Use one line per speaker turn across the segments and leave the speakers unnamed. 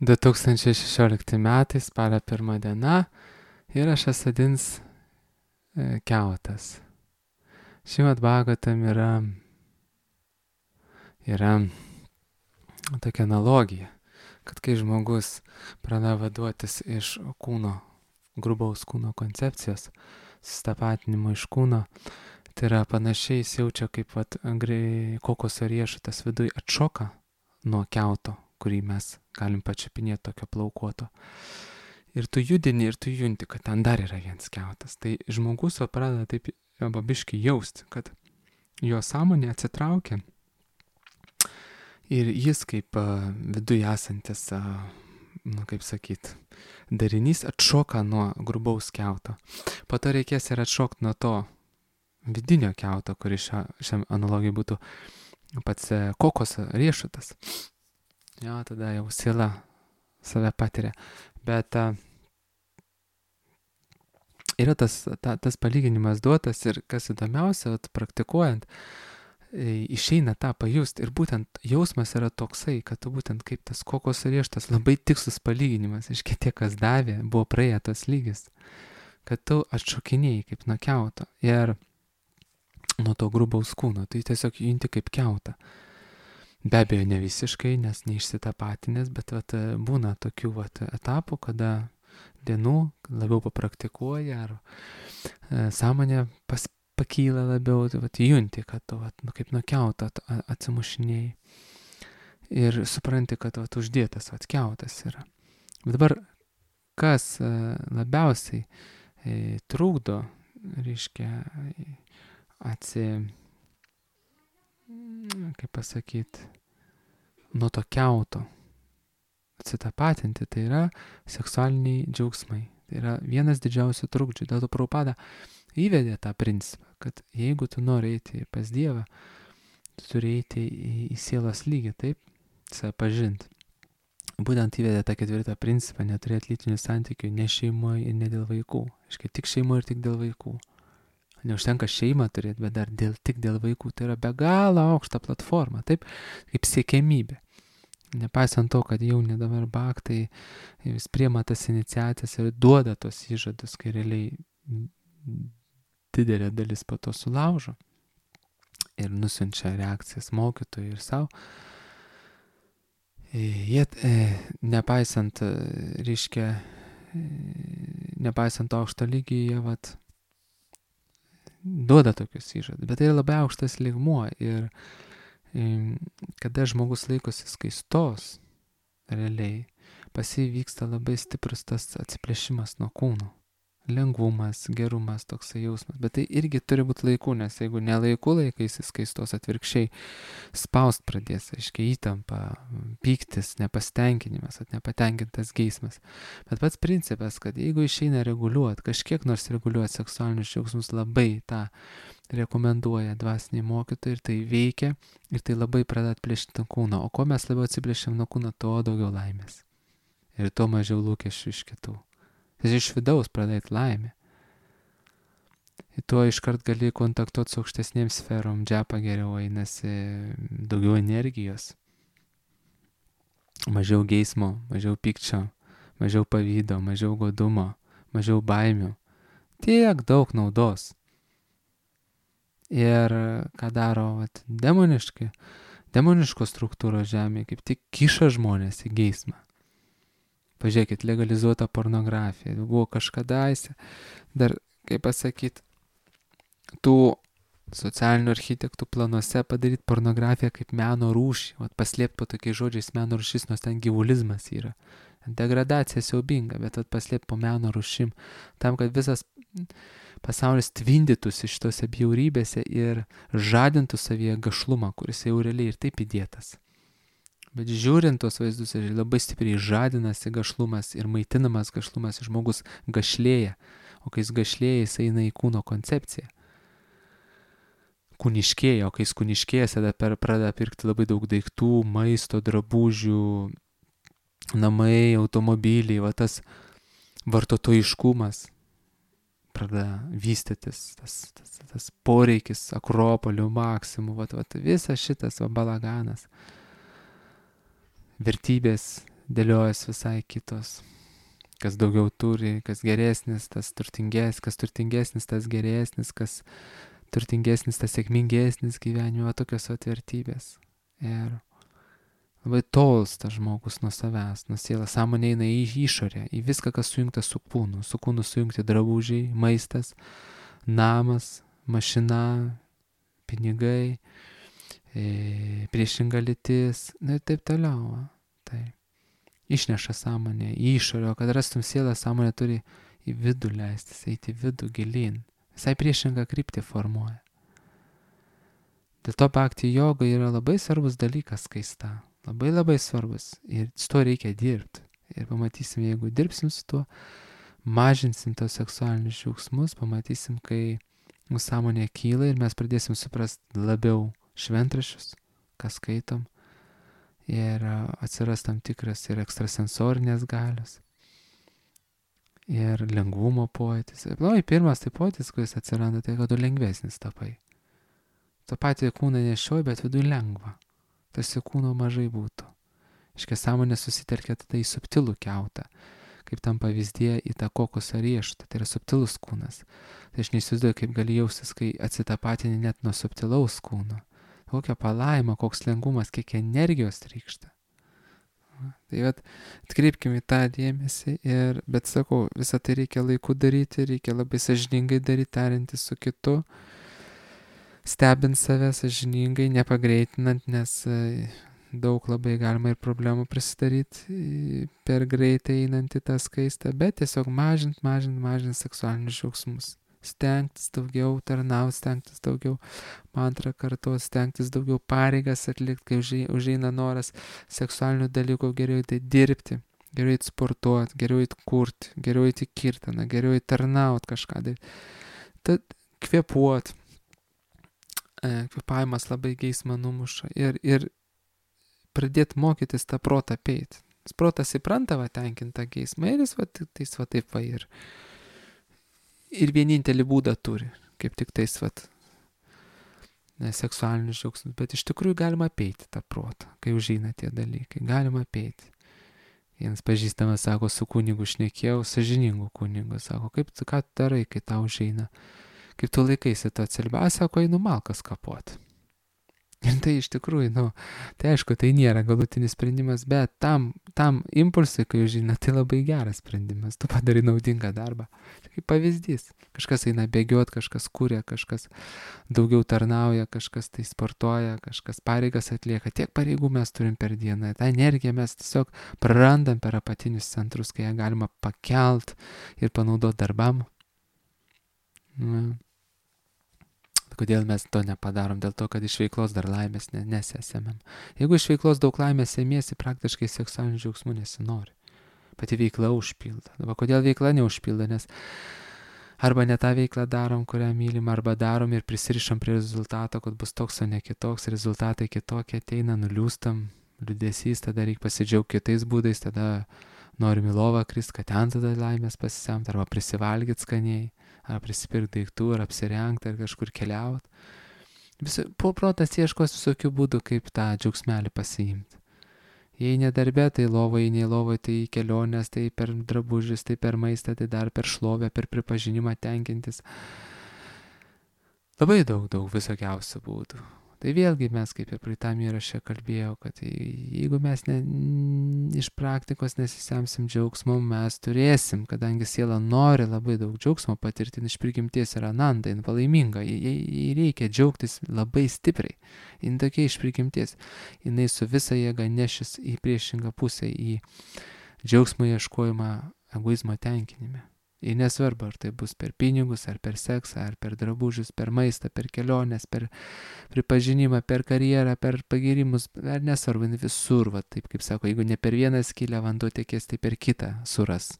2016 metai, spalio 1 diena, įrašas vadins kiautas. Šimad Bhagavatam yra tokia analogija, kad kai žmogus pradeda vaduotis iš kūno, grubaus kūno koncepcijos, sustapatinimo iš kūno, tai yra panašiai jis jaučia, kaip kokoso riešutas viduj atšoka nuo kiauto, kurį mes galim pačiupinėti tokio plaukuoto. Ir tu judini, ir tu junti, kad ten dar yra vienas kiautas. Tai žmogus pradeda taip babiškai jausti, kad jo sąmonė atsitraukia ir jis kaip viduje esantis, darinys atšoka nuo grubaus kiauto. Po to reikės ir atšokti nuo to vidinio kiauto, kuris šiam analogijai būtų pats kokoso riešutas. Jo, tada jau siela save patiria. Bet yra tas palyginimas duotas ir kas įdomiausia, praktikuojant, išeina tą pajusti. Ir būtent jausmas yra toksai, kad tu būtent kaip tas kokoso riešutas, labai tikslus palyginimas, iškia tie, kas davė, buvo praėję tos lygis, kad tu atšokinėjai kaip nuo kiauto ir nuo to grubaus kūno, tai tiesiog junti kaip kiautą. Be abejo, ne visiškai, nes neišsitapatinės, bet būna tokių etapų, kada dienų labiau papraktikuoja ar sąmonė pakyla labiau, junti, kad tu kaip nuo kiauto atsimušinėjai ir supranti, kad uždėtas kiautas yra. Bet dabar, kas labiausiai trukdo, reiškia, nuo to kiauto atsitapatinti, tai yra seksualiniai džiaugsmai. Tai yra vienas didžiausių trukdžių. Dėl to Prabhupada įvedė tą principą, kad jeigu tu nori eiti pas Dievą, tu turi eiti į sielos lygį, taip, save pažinti. Būtent įvedė tą 4 principą, neturėti lytinių santykių ne šeimoje ir ne dėl vaikų. Aiškiai, tik šeimoje ir tik dėl vaikų. Neužtenka šeimą turėti, bet dar tik dėl vaikų. Tai yra be galo aukšta platforma, taip, kaip siekiamybė. Nepaisant to, kad jauni dabar bhaktai vis priema tas iniciacijas ir duoda tos įžadus, kai realiai didelė dalis po to sulaužo ir nusiunčia reakcijas mokytojui ir savo. Jie, nepaisant aukšto lygį, jie duoda tokius įžadus, bet tai yra labai aukštas lygmuo ir kada žmogus laikosi skaistos, realiai pas jį vyksta labai stiprus tas atsiplėšimas nuo kūno. Lengvumas, gerumas, toksai jausmas. Bet tai irgi turi būti laiku, nes jeigu ne laiku laikaisi skaistos, atvirkščiai spaust pradės, aiškiai įtampa, pyktis, nepastenkinimas, nepatenkintas geismas. Bet pats principas, kad jeigu išeina reguliuoti, kažkiek nors reguliuoti seksualinius džiaugsmus, labai tą rekomenduoja dvasiniai mokytojai ir tai veikia ir tai labai pradeda atplėšti nuo kūno. O ko mes labiau atsiplėšiam nuo kūno, tuo daugiau laimės. Ir tuo mažiau lūkesčių iš kitų. Tai iš vidaus pradėti laimę. Ir tuo iškart gali kontaktuoti su aukštesnėm sferom, džapa geriau einasi, daugiau energijos, mažiau geismo, mažiau pykčio, mažiau pavydo, mažiau godumo, mažiau baimių. Tiek daug naudos. Ir ką daro demoniškos struktūros žemėje, kaip tik kiša žmonės į geismą. Pažiūrėkit, legalizuota pornografija. Buvo kažkadaise, dar, kaip pasakyti, tų socialinių architektų planuose padaryti pornografiją kaip meno rūšį. Paslėpti po tokiais žodžiais meno rūšis, nors ten gyvulizmas yra. Degradacija siaubinga, bet paslėpti po meno rūšim. Tam, kad visas pasaulis tvindytųsi šitose bjaurybėse ir žadintų savyje gašlumą, kuris jau realiai ir taip įdėtas. Bet žiūrint tos vaizdus, labai stipriai žadinasi gašlumas ir maitinamas gašlumas, žmogus gašlėja, o kai jis gašlėja, jis eina į kūno koncepciją. Kūniškėja, o kai jis kūniškėja, tada pradeda pirkti labai daug daiktų, maisto, drabužių, namai, automobiliai, tas vartotojiškumas pradeda vystytis, tas poreikis akropolių, maksimų, visas šitas balaganas. Vertybės dėliojas visai kitos. Kas daugiau turi, kas geresnis, tas turtingesnis, kas turtingesnis, tas geresnis, kas turtingesnis, tas sėkmingesnis gyvenime, tokios vertybės. Ir labai tolsta žmogus nuo savęs, nuo sielos, sąmonė eina į išorę, į viską, kas sujungta su kūnu sujungti drabužiai, maistas, namas, mašina, pinigai, priešinga lytis, ir taip toliau. Tai išneša sąmonę į išorę, o kad rastum sielą, sąmonė turi į vidų leistis, eiti į vidų gilin. Visai priešingą kryptį formuoja. Dėl to bhakti joga yra labai svarbus dalykas skaista. Labai labai svarbus. Ir su tuo reikia dirbti. Ir pamatysim, jeigu dirbsim su tuo, mažinsim tos seksualinius džiaugsmus, pamatysim, kai mūsų sąmonė kyla ir mes pradėsim suprasti labiau šventraščius, ką skaitom. Ir atsiras tam tikras ir ekstrasensorinės galios. Ir lengvumo pojūtis. Pirmas tai pojūtis, kuris atsiranda, tai kad tu lengvesnis tapai. Tu patį kūną nešioji, bet vidui lengva. Tarsi kūno mažai būtų. Iškia sąmonė susitelkia tada į subtilų kiautą, kaip tam pavyzdėje į tą kokosą riešutą. Tai yra subtilus kūnas. Tai aš neįsivaizduoju, kaip gali jaustis, kai atsitapatini net nuo subtilaus kūno. Kokia palaima, koks lengvumas, kiek energijos trykšta. Tai atkreipkime į tą dėmesį, bet sakau, visą tai reikia laiku daryti, reikia labai sąžiningai daryti, tariantis su kitu, stebint save sąžiningai, nepagreitinant, nes daug labai galima ir problemų prisidaryti per greitai einant į tą skaistą, bet tiesiog mažint seksualinius džiaugsmus. Stengtis daugiau tarnauti, stengtis daugiau mantrą kartuoti, stengtis daugiau pareigas atlikti, kai užeina noras seksualinių dalykų, geriau tai dirbti, geriau įti sportuoti, geriau įti kurti, geriau įti kirtaną, geriau įti tarnauti kažką. Tad kvėpuoti, kvėpavimas labai geismą numuša ir pradėti mokytis tą protą apeiti. Protas įpranta tenkintą geismą ir jis taip ir vienintelį būdą turi, kaip tik tais seksualinius džiaugsmus, bet iš tikrųjų galima apeiti tą protą, kai užeina tie dalykai, galima apeiti. Vienas pažįstamas sako, su kunigu šnekėjau, sąžiningu kunigu, sako, ką tu darai, kai tau užeina, kaip tu laikaisi to celibato, sako, einu malkas kapoti. Ir tai iš tikrųjų, tai aišku, tai nėra galutinis sprendimas, bet tam impulsui, kai užeina, tai labai geras sprendimas, tu padarai naudingą darbą. Tai kaip pavyzdys, kažkas eina bėgioti, kažkas kuria, kažkas daugiau tarnauja, kažkas tai sportuoja, kažkas pareigas atlieka, tiek pareigų mes turim per dieną, tą energiją mes tiesiog prarandam per apatinius centrus, kai ją galima pakelt ir panaudoti darbam. Kodėl mes to nepadarom? Dėl to, kad iš veiklos dar laimės nesėmėm. Jeigu iš veiklos daug laimės sėmiesi, praktiškai seksualinių džiaugsmų nesinori. Pati veikla užpilda. Dabar kodėl veikla neužpilda? Nes arba ne tą veiklą darom, kurią mylim, arba darom ir prisirišam prie rezultato, kad bus toks, o ne kitoks, rezultatai kitokie ateina, nuliūstam, liūdesys, tada reikia pasidžiaugti kitais būdais, tada norim į lovą krist, kad ten tada laimės pasisemt, arba prisivalgyti skaniai, ar prisipirkti daiktų, ar apsirengti, ar kažkur keliauti. Protas ieškos visokių būdų, kaip tą džiaugsmelį pasiimti. Jei ne darbė, tai lovoje, nei lovoje, tai kelionės, tai per drabužius, tai per maistą, tai dar per šlovę, per pripažinimą tenkintis. Labai daug visokiausių būdų. Tai vėlgi mes, kaip ir praeitam įraše kalbėjau, kad jeigu mes iš praktikos nesisemsim džiaugsmo, mes turėsim, kadangi siela nori labai daug džiaugsmo patirti, iš prigimties yra ananda, jin palaiminga, jai reikia džiaugtis labai stipriai, jin tokia iš prigimties, jinai su visa jėga nešis į priešingą pusę, į džiaugsmo ieškojimą egoizmo tenkinime. Ir nesvarbu, ar tai bus per pinigus, ar per seksą, ar per drabužius, per maistą, per keliones, per pripažinimą, per karjerą, per pagirimus, ar nesvarbu, visur, taip kaip sako, jeigu ne per vieną skylę vanduo tekės, tai per kitą suras.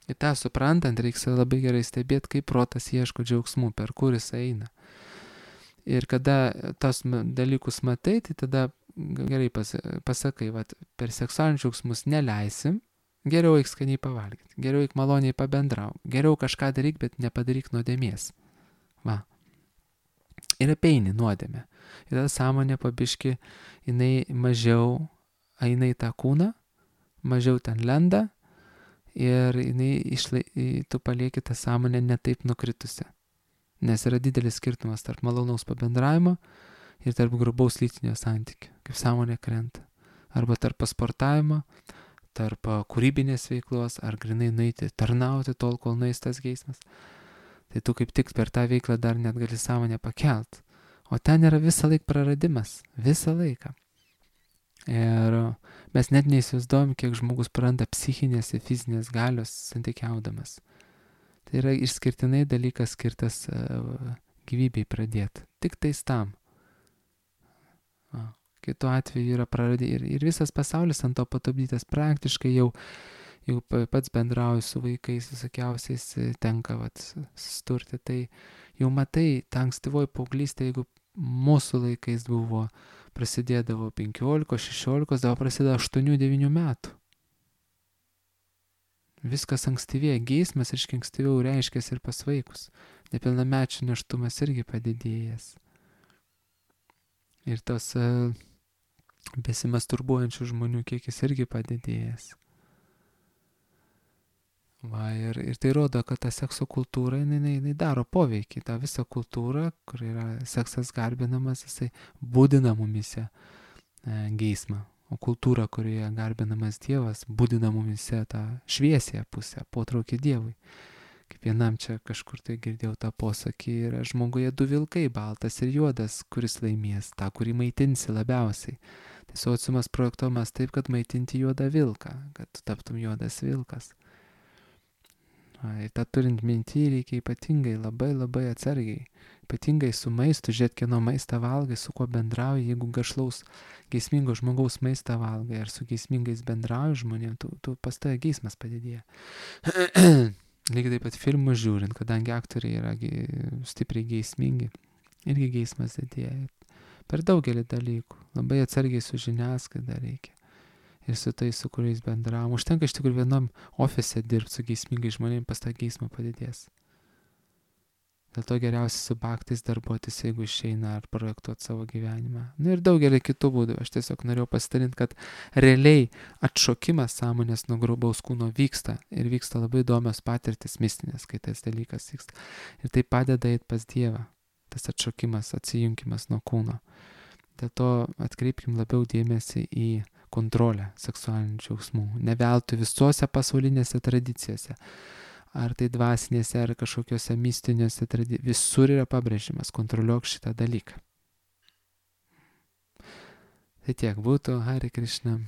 Ir tą suprantant, reikia labai gerai stebėti, kaip protas ieško džiaugsmų, per kur jis eina. Ir kada tos dalykus matai, tai tada gerai pasakai, per seksualinius džiaugsmus neleisim, geriau eik skaniai pavalgyti, geriau eik maloniai pabendrau, geriau kažką daryk, bet nepadaryk nuodėmės. Ir apeini nuodėmę. Ir tada sąmonė pabiški, jinai mažiau eina į tą kūną, mažiau ten lenda ir tu palieki tą sąmonę netaip nukritusi. Nes yra didelis skirtumas tarp malonaus pabendravimo ir tarp grubaus lytinio santykio, kaip sąmonė krenta. Arba tarp pasportavimo, tarp kūrybinės veiklos, ar grinai nueiti tarnauti tol, kol nueis tas geismas. Tai tu kaip tik per tą veiklą dar net gali sąmonę pakelt. O ten yra visą laiką praradimas. Visą laiką. Ir mes net neįsivaizduojam, kiek žmogus praranda psichinės ir fizinės galios santykiaudamas. Tai yra išskirtinai dalykas skirtas gyvybei pradėti. Tik tais tam. Kitu atveju yra ir visas pasaulis ant to patupdytas. Praktiškai jau pats bendrauju su vaikais visokiausiais, tenka susturti. Tai jau matai, ta ankstyvoji paauglystė, jeigu mūsų laikais buvo, prasidėdavo 15-16, dabar prasidėjo 8-9 metų. Viskas ankstyvėja, geismas ankstyviau reiškiasi ir pas vaikus. Nepilnamečių nėštumas irgi padidėjęs. Ir tos besimasturbuojančių žmonių kiekis irgi padidėjęs. Ir tai rodo, kad ta sekso kultūra, jinai daro poveikį. Ta visa kultūra, kur yra seksas garbinamas, jisai būdina mumise geismą. O kultūra, kurioje garbinamas Dievas, būdina mumise tą šviesiąją pusę, potraukį Dievui. Kaip vienam čia kažkur tai girdėjau tą posakį, yra žmoguje 2 vilkai, baltas ir juodas, kuris laimės, tą, kurį maitinsi labiausiai. Tai sociumas projektuojamas taip, kad maitinti juodą vilką, kad tu taptum juodas vilkas. Ir tą turint minty reikia ypatingai labai atsargiai. Ypatingai su maistu, žiūrėt, kieno maistą valgai, su kuo bendrauji. Jeigu gašlaus, geismingo žmogaus maistą valgai ar su geismingais bendrauji žmonėm, tu pas tave geismas padidėja. Lygiai taip pat filmus žiūrint, kadangi aktoriai yra stipriai geismingi, irgi geismas didėja. Per daugelį dalykų. Labai atsargiai su žiniasklaida reikia. Ir su tais, su kuriais bendravom. Užtenka iš tikrųjų vienam ofise dirbti su geismingai žmonėm, pas tą geismą padidės. Dėl to geriausia su baktais darbuotis, jeigu išeina ar projektuoti savo gyvenimą. Ir daugelį kitų būdų. Aš tiesiog norėjau pasidalinti, kad realiai atšokimas sąmonės nuo grubaus kūno vyksta. Ir vyksta labai įdomios patirtis mistinės, kai tas dalykas vyksta. Ir tai padeda eiti pas Dievą. Tas atšokimas, atsijungimas nuo kūno. Dėl to atkreipkim labiau dėmesį į kontrolę seksualinių džiaugsmų. Ne veltui visose pasaulinėse tradicijose. Ar tai dvasinėse, ar kažkokiose mistinėse tradicijose. Visur yra pabrėžimas, kontroliuok šitą dalyką. Tai tiek būtų, Hare Krishna.